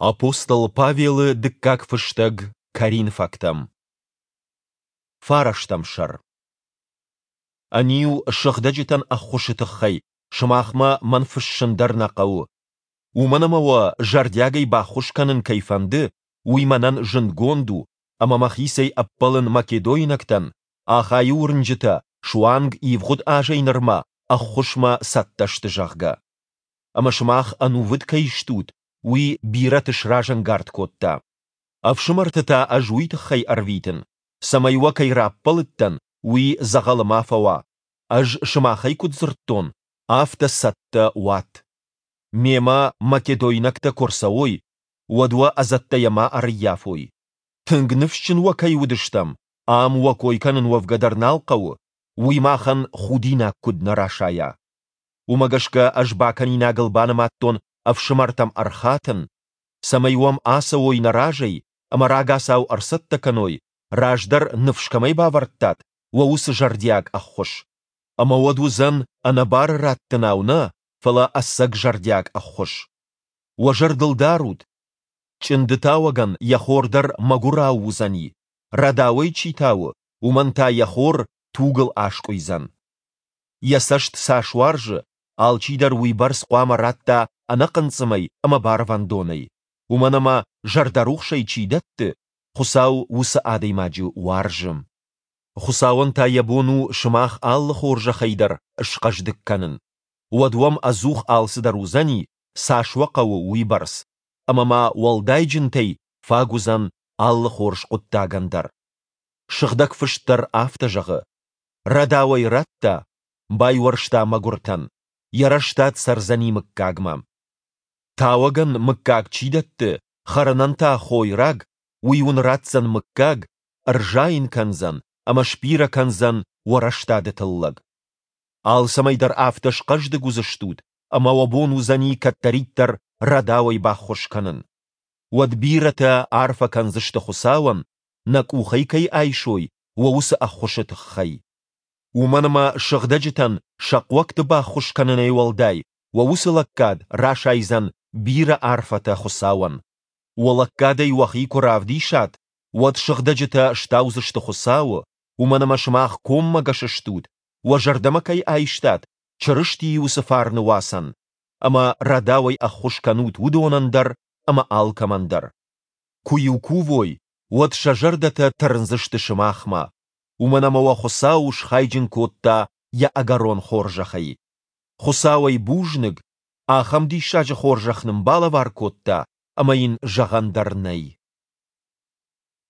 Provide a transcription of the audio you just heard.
Апостол Павелы дыккаг фыстӕг Коринфӕгтӕм. Фарӕстӕм сӕр. Ӕниу, сыгъдӕджытӕн ӕххуысы тыххӕй сымахмӕ мӕн фыссын дӕр нӕ хъӕуы. Уымӕн ӕмӕ уӕ зӕрдиагӕй баххуыс кӕнын кӕй фӕнды, уый мӕнӕн зындгонд у, ӕмӕ мӕхицӕй ӕппӕлын македойнӕгтӕн, Ахайы уырнджытӕ суанг ивгъуыд азӕй нырмӕ ӕххуысмӕ цӕттӕ сты, зӕгъгӕ. Ӕмӕ сымах ӕнувыд кӕй стут, уый бирӕты сразӕнгард кодта. Ӕфсымӕрты та ӕз уый тыххӕй ӕрвитын, цӕмӕй уӕ кӕй раппӕлыдтӕн, уый дзӕгъӕлы ма фӕуа, ӕз сымахӕй куыд дзырдтон, афтӕ цӕттӕ уат. Мемӕ македойнӕгтӕ куы рцӕуой, уӕд уӕ ӕдзӕттӕйӕ ма ӕрыййафой. Тынг ныфсджын уӕ кӕй уыдыстӕм, ам уӕ кой кӕнын уӕвгӕ дӕр нал хъӕуы, уый махӕн худинаг куыд нӕ расайа. Уымӕ гӕсгӕ ӕз бакӕнинагыл банымадтон ӕфсымӕртӕм ӕрхатын, цӕмӕй уӕм ацӕуой нӕ разӕй ӕмӕ рагацау ӕрцӕттӕ кӕной, раздӕр ныфс кӕмӕй бавӕрдтат, уӕ уыцы зӕрдиаг ӕххуыс. Ӕмӕ уӕд уыдзӕн ӕнӕбары раттынау нӕ, фӕлӕ ӕцӕг зӕрдиаг ӕххуыс. Уӕ зӕрдыл дарут, чъынды тауӕгӕн йӕ хор дӕр мӕгуырау уыдзӕни, рӕдауӕй чи тауы, уымӕн та йӕ хор тугыл аскъуыйдзӕн. Йӕ цӕст цас уарзы, алчидӕр уыйбӕрц хъуамӕ радта ӕнӕхъынцъымӕй ӕмӕ барвӕндонӕй, уымӕн ӕмӕ зӕрдӕрухсӕй чи дӕтты, Хуыцау уыцы адӕймаджы уарзы. Хуыцауӕн та йӕ бон у сымах алы хорзӕхӕй дӕр схъӕздыг кӕнын. Уӕд уӕм ӕдзух алцыдӕр уыдзӕни, цас уӕ хъӕуы, уыйбӕрц, ӕмӕ ма уӕлдайджынтӕй фаг уыдзӕн алы хорз хъуыддагӕн дӕр. Сыгъдӕг Фыст дӕр афтӕ зӕгъы: Рӕдауӕй радта, байуӕрста мӕгуыртӕн, йӕ рӕстад цӕрдзӕни мыггагмӕ. Тауӕгӕн мыггаг чи дӕтты, хӕрынӕн та хойраг, уый уын ратдзӕн мыггаг, ӕрзайын кӕндзӕн ӕмӕ сбирӕ кӕндзӕн уӕ рӕстады тыллӕг. Алцӕмӕй дӕр афтӕ схъӕздыг уыдзыстут, ӕмӕ уӕ бон уыдзӕни кӕддӕриддӕр рӕдауӕй баххуыс кӕнын. Уӕд бирӕтӕ арфӕ кӕндзысты Хуыцауӕн, нӕ къухӕй кӕй айсой, уӕ уыцы ӕххуысы тыххӕй. Уымӕн ӕмӕ сыгъдӕджытӕн сӕ хъуӕгты баххуыс кӕнынӕй уӕлдай уӕ уыцы лӕггад расайдзӕн бирӕ арфӕтӕ Хуыцауӕн. Уӕ лӕггадӕй уӕхи куы равдисат, уӕд сыгъдӕджытӕ стаудзысты Хуыцауы, уымӕн ӕмӕ сымах коммӕгӕс стут, уӕ зӕрдӕмӕ кӕй айстат, Чырыстийы уыцы фарны уацӕн, ӕмӕ рӕдауӕй ӕххуыс кӕнут уыдонӕн дӕр ӕмӕ алкӕмӕн дӕр. Куы-иу кувой, уӕд сӕ зӕрдӕтӕ тырндзысты сымахмӕ, уымӕн ӕмӕ уӕ Хуыцау схайджын кодта йӕ ӕгӕрон хорзӕхӕй. Хуыцауӕй бузныг, ахӕм диссаджы хорзӕх нын балӕвар кодта, ӕмӕ йын зӕгъӕн дӕр нӕй.